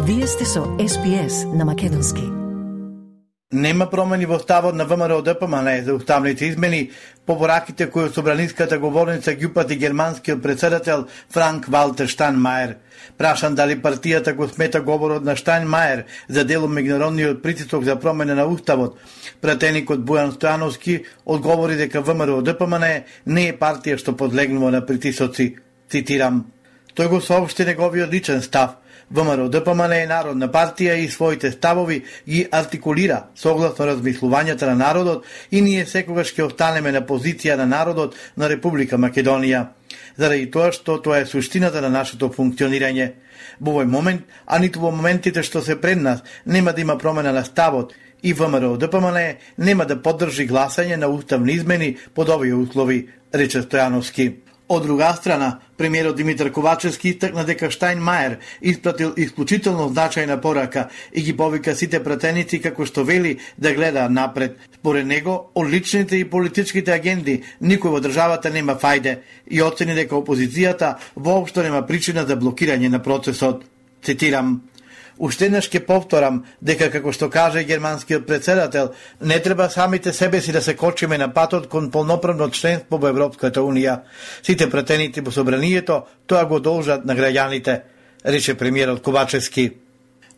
Вие сте со SPS на македонски. Нема промени во ставот на ВМРО-ДПМН за уставните измени по пораките кои собраниската говорница ги упати германскиот председател Франк Валтер Штајнмајер. Прашан дали партијата го смета говорот на Штајнмајер за дел од меѓународниот притисок за промена на уставот, пратеникот Бојан Стојановски одговори дека ВМРО-ДПМН не е партија што подлегнува на притисоци. Цитирам: тој го соопшти неговиот личен став. ВМРО-ДПМН е народна партија и своите ставови ги артикулира согласно размислувањата на народот и ние секогаш ќе останеме на позиција на народот на Република Македонија, заради тоа што тоа е суштината на нашето функционирање. Во овој момент, а ниту во моментите што се пред нас, нема да има промена на ставот и ВМРО-ДПМН нема да поддржи гласање на уставни измени под овие услови, рече Стојановски. Од друга страна, премиерот Димитар Ковачевски истакна дека Штајнмајер испратил исклучително значајна порака и ги повика сите пратеници како што вели да гледаат напред. Според него, од личните и политичките агенди никој во државата нема фајде и оцени дека опозицијата воопшто нема причина за блокирање на процесот. Цитирам: уште еднаш ќе повторам дека, како што каже германскиот председател, не треба самите себе си да се кочиме на патот кон полноправно членство во Европската Унија. Сите пратеници во собранието тоа го должат на граѓаните, рече премиерот Ковачевски.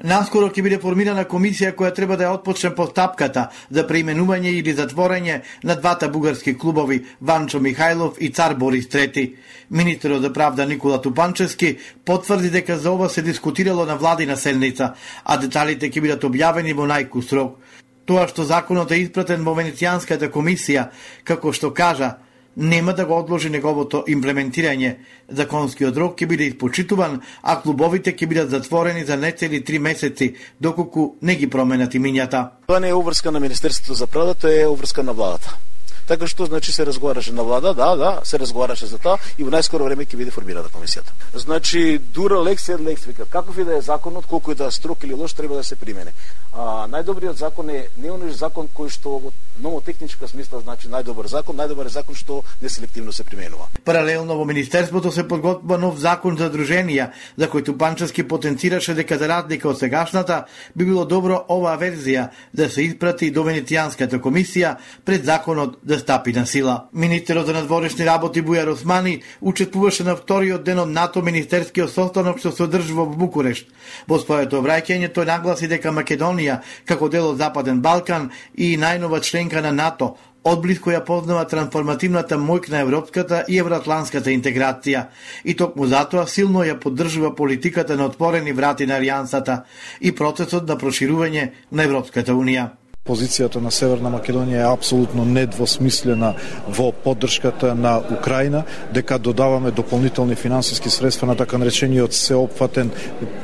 Наскоро ќе биде формирана комисија која треба да ја отпочне постапката за преименување или затворање на двата бугарски клубови Ванчо Михајлов и Цар Борис III. Министерот за правда Никола Тупанчевски потврди дека за ова се дискутирало на владина седница, а деталите ќе бидат објавени во најкус рок. Тоа што законот е испратен во Венецијанската комисија, како што кажа, нема да го одложи неговото имплементирање. Законскиот рок ќе биде испочитуван, а клубовите ќе бидат затворени за нецели 3 месеци, доколку не ги променат имињата. Тоа не е обврска на Министерството за правда, тоа е обврска на владата. Така што значи се разговараше на влада, да, се разговараше за тоа и во најскоро време ќе биде формирана комисијата. Значи дура лекс ед лекс, вика, каков и да е законот, колку и да е строг или лош, треба да се примене. Најдобриот закон е не оној закон кој што од номотехничка смисла значи најдобар е закон што неселективно се применува. Паралелно во Министерството се подготвува нов закон за друженија, за кој Тупанчевски потенцираше дека за разлика од сегашната би било добро оваа верзија да се испрати до Венецијанската комисија пред законот да стапи на сила. Министерот за надворешни работи Бујар Османи учествуваше на вториот ден од НАТО министерскиот состанок што се одржува во Букурешт. Во своето обраќање тој нагласи дека Македонија, како дел од Западен Балкан и најнова членка на НАТО, одблиско ја познава трансформативната моќ на европската и евроатланската интеграција и токму затоа силно ја поддржува политиката на отворени врати на алијансата и процесот на проширување на Европската Унија. Позицијата на Северна Македонија е апсолутно недвосмислена во поддршката на Украина, дека додаваме дополнителни финансиски средства на така наречениот сеопфатен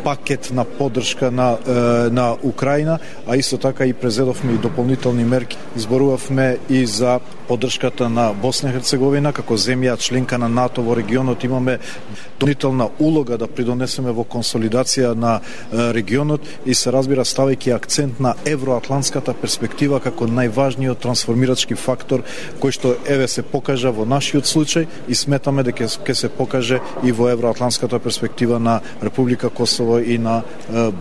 пакет на поддршка на Украина, а исто така и презедовме и дополнителни мерки. Зборувавме и за поддршката на Босна и Херцеговина, како земја членка на НАТО во регионот имаме дополнителна улога да придонесеме во консолидација на регионот и се разбира ставајќи акцент на евроатланската перспектива како најважниот трансформирачки фактор кој што се покажа во нашиот случај и сметаме дека ќе се покаже и во евроатланската перспектива на Република Косово и на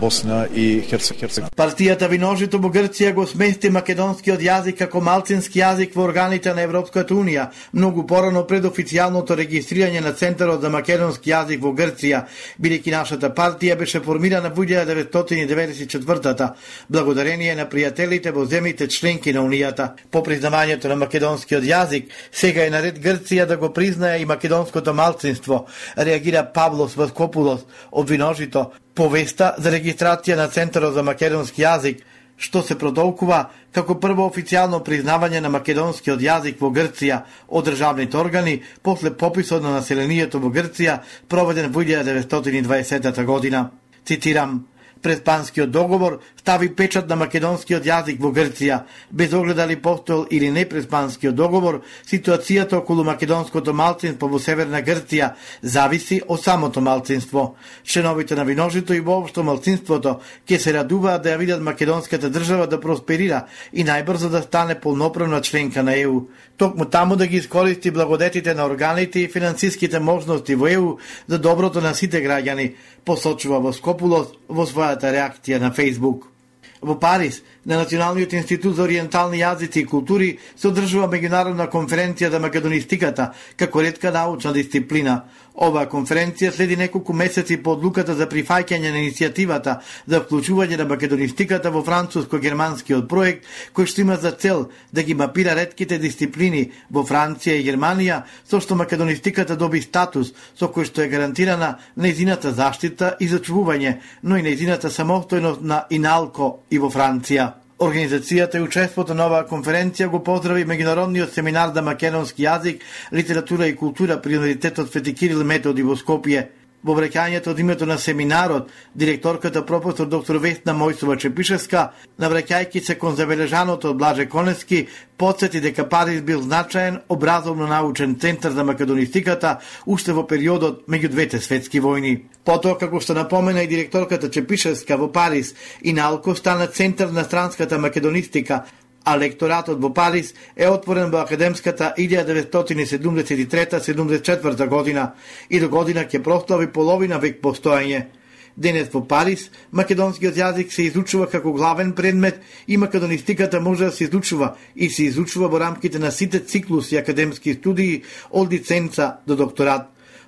Босна и Херцеговина. Партијата Виножито во Грција го смести македонскиот јазик како малцински јазик во органите на Европската Унија, многу порано пред официјалното регистрирање на Центарот за македонски јазик во Грција, бидејќи нашата партија беше формирана во 1994-та, благодарение на пријателите во земјите членки на Унијата. По признавањето на македонскиот јазик, сега е наред Грција да го признае и македонското малцинство, реагира Павлос Васкопулос од Виножито, повеста за регистрација на Центарот за македонски јазик, што се продолкува како прво официјално признавање на македонскиот јазик во Грција од државните органи после пописот на населението во Грција проведен во 1920 година. Цитирам: пред Панскиот договор стави печат на македонскиот јазик во Грција, без оглед дали постоел или не преспанскиот договор. Ситуацијата околу македонското малцинство во Северна Грција зависи од самото малцинство. Членовите на Виножито и воопшто малцинството ќе се радуваат да ја видат македонската држава да просперира и најбрзо да стане полноправна членка на ЕУ. Токму таму да ги искористи благодетите на органите и финансиските можности во ЕУ за доброто на сите граѓани, посочува Воскопулос во својата реакција на Facebook. Во Париз, на Националниот институт за ориентални јазици и култури се одржува меѓународна конференција за македонистиката како ретка научна дисциплина. Оваа конференција следи неколку месеци по одлуката за прифаќање на иницијативата за вклучување на македонистиката во француско-германскиот проект, кој што има за цел да ги мапира ретките дисциплини во Франција и Германија, со што македонистиката доби статус со кој што е гарантирана нејзината заштита и зачувување, но и нејзината самостојност на ИНАЛКО и во Франција. Организацијата и учеството на оваа конференција го поздрави меѓународниот семинар за македонски јазик, литература и култура при Универзитетот Свети Кирил и Методи во Скопје. Во враќањето од името на семинарот, директорката професор доктор Весна Мојсова Чепишевска, навраќајќи се кон забележаното од Блаже Коневски, потсети дека Париз бил значаен образовно-научен центар за македонистиката уште во периодот меѓу двете светски војни. Потоа, како што напомена и директорката Чепишевска, во Париз ИНАЛКО стана центар на странската македонистика, а лекторатот во Париз е отворен во академската 1973-74 година и до година ќе прослави половина век постоење. Денес во Париз македонскиот јазик се изучува како главен предмет и македонистиката може да се изучува и се изучува во рамките на сите циклуси академски студии од лиценца до докторат.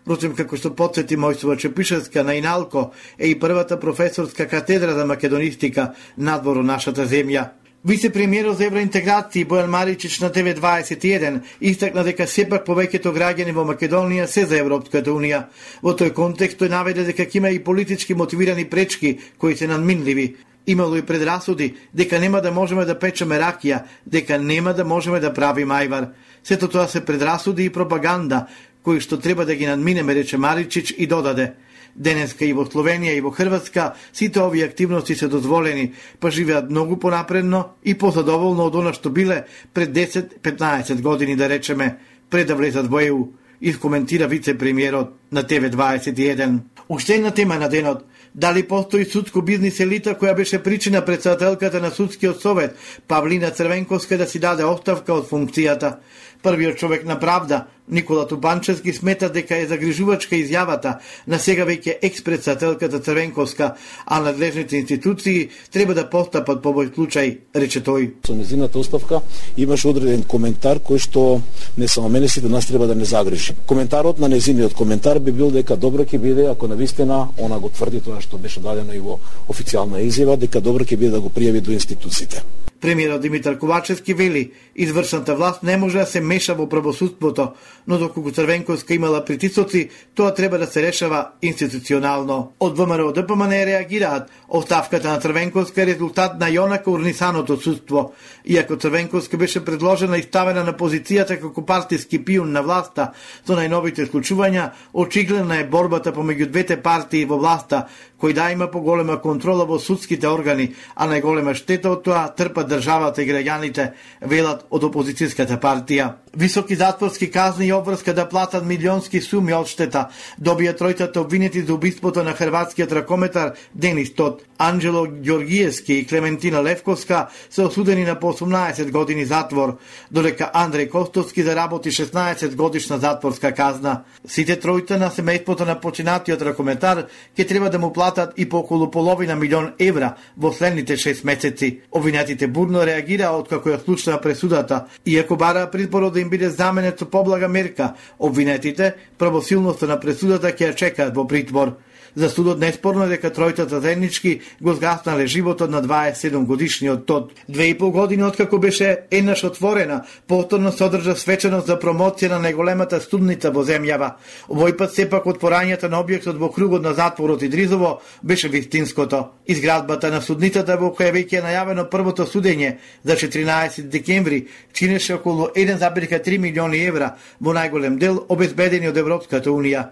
Впрочем, како што потсети Мојсова Чепишевска, на ИНАЛКО е и првата професорска катедра за македонистика надвор од нашата земја. Вице-премиерот за евроинтеграција Бојан Маричич на ТВ21 истакна дека сепак повеќето граѓани во Македонија се за Европската Унија. Во тој контекст тој наведе дека има и политички мотивирани пречки кои се надминливи. Имало и предрасуди дека нема да можеме да печеме ракија, дека нема да можеме да правиме ајвар. Сето тоа се предрасуди и пропаганда кои што треба да ги надминеме, рече Маричич и додаде: денеска и во Словенија и во Хрватска сите овие активности се дозволени, па живеат многу понапредно и позадоволно од она што биле пред 10-15 години, да речеме, пред да влезат во ЕУ, искоментира вице-премиерот на ТВ21. Уште една тема на денот: дали постои судско бизнис елита која беше причина претседателката на судскиот совет Павлина Црвенковска да си даде оставка од функцијата. Првиот човек на правда, Никола Тупанчевски, смета дека е загрижувачка изјавата на сега веќе екс-претседателката Црвенковска, а надлежните институции треба да постапат по овој случај, рече тој. Со незината оставка имаше одреден коментар кој што не само мене, сите нас треба да не загрижи. Коментарот на незиниот коментар би бил дека добро ќе биде ако навистина она го тврди тоа што беше дадено и во официјална изјава, дека добро ќе биде да го пријави до институциите. Премиерот Димитар Ковачевски вели: извршната власт не може да се меша во правосудството, но доколку Црвенковска имала притисоци, тоа треба да се решава институционално. Од ВМРО ДПМН реагираат: оставката на Црвенковска е резултат на јонака урнисаното судство. Иако Црвенковска беше предложена и ставена на позицијата како партиски пион на власта со најновите случувања, очигледна е борбата помеѓу двете партии во власта, кој да има поголема контрола во судските органи, а најголема штета од тоа трпат државата и граѓаните, велат од опозицијската партија. Високи затворски казни и обврска да платат милионски суми одштета добија тројцата обвинети за убиството на хрватскиот ракометар Денис Тот. Анджело Ѓоргиевски и Клементина Левковска се осудени на по 18 години затвор, додека Андреј Костовски заработи 16 годишна затворска казна. Сите тројца на семејството на починатиот ракометар ќе треба да му платат и по околу половина милион евра во следните 6 месеци. Обвинетите бурно реагираа откако ја случна пресудата, иако бараа притворот да им биде заменет со поблага мерка. Обвинетите правосилноста на пресудата ќе ја чекаат во притвор. За судот неспорно е дека тројцата заеднички го згаснале животот на 27 годишниот Тот. 2,5 години откако беше еднаш отворена, повторно се одржа свеченост за промоција на најголемата студница во земјава. Овој пат сепак отворањето на објектот во кругот на затворот Идризово беше вистинското. Изградбата на судницата во која веќе е најавено првото судење за 14 декември чинеше околу 1,3 милиони евра, во најголем дел обезбедени од Европската Унија.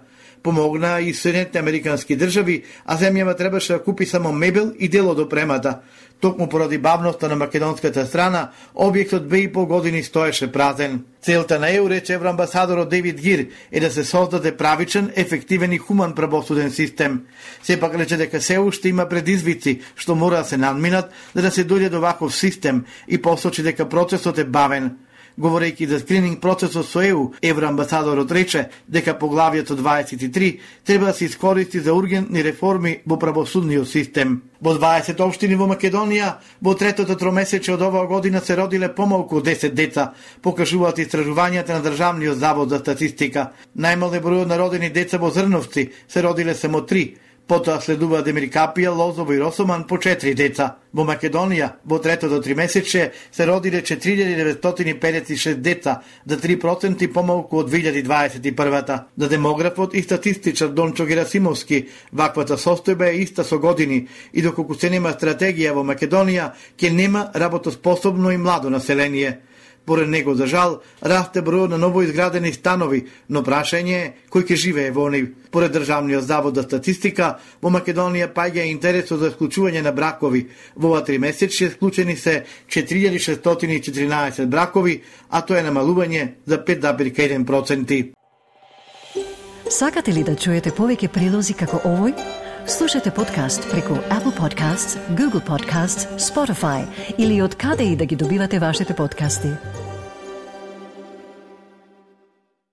Помогнаа и Соединетите американски држави, а земјава требаше да купи само мебел и дел од опремата. Токму поради бавноста на македонската страна, објектот 2,5 години стоеше празен. Целта на ЕУ, рече евроамбасадорот Дейвид Гир, е да се создаде правичен, ефективен и хуман правосуден систем. Сепак рече дека се уште има предизвици што мора да се надминат за да се дојде до ваков систем и посочи дека процесот е бавен. Говорејќи за скрининг процесот со ЕУ, евроамбасадорот рече дека поглавието 23 треба да се искористи за ургентни реформи во правосудниот систем. Во 20 општини во Македонија, во третото тромесече од оваа година се родиле помалку од 10 деца, покажуваат истражувањата на Државниот завод за статистика. Најмале бројот на родени деца во Зрновци се родиле само 3. Потоа следува Демиркапија, Лозово и Росоман по 4 деца. Во Македонија, во третото тримесече, се родиле 4956 деца, за 3% помалку од 2021. За демографот и статистичар Дончо Герасимовски, ваквата состојба е иста со години и доколку се нема стратегија во Македонија, ќе нема работоспособно и младо население. Поред него, за жал, расте бројот на новоизградени станови, но прашање е кој ќе живее во нив. Поред Државниот завод за статистика, во Македонија паѓа интересот за склучување на бракови. Во ова тримесечје склучени се 4614 бракови, а тоа е намалување за 5,1%. Сакате ли да чуете повеќе прилози како овој? Слушате подкаст преку Apple Podcasts, Google Podcasts, Spotify или од каде и да ги добивате вашите подкасти.